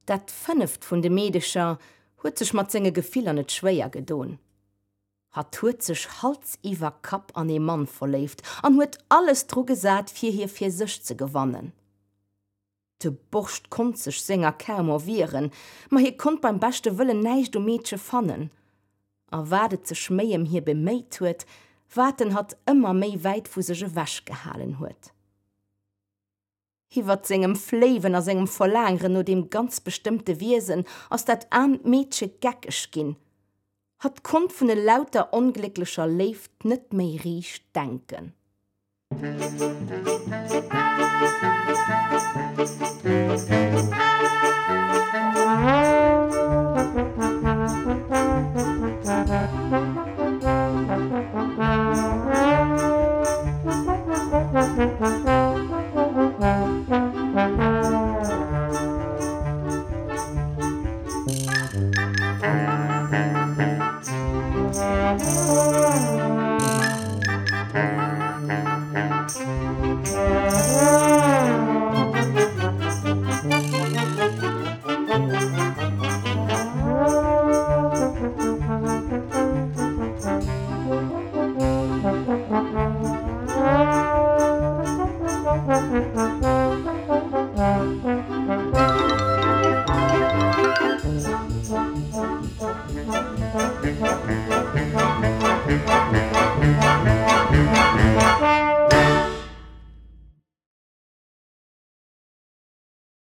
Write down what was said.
Dat fënneft vun de Meedecher huet sech mat senge Gefiller net schwéier gedon. Hatt huet sech Hals iwwer Kapp an ee Mann verléift an huet alles dru gesat, fir hie fir sech ze gewannen. De Borscht konnt sech senger kaum erwieren, ma hie konnt beim beschte Wëllen näischt um Meedche fannen. A wat et sech méi ëm hie beméit huet, wat en hatt ëmmer méi wäit vu sech ewech gehalen huet. Iwwert sengem Fléiwen a sengem Verlaangeren no deem ganz bestëmmte Wiesen ass dat aarmt Meedche geckeg ginn. Hatt konnt vun elauter onglécklecher Léift net méi riicht denken.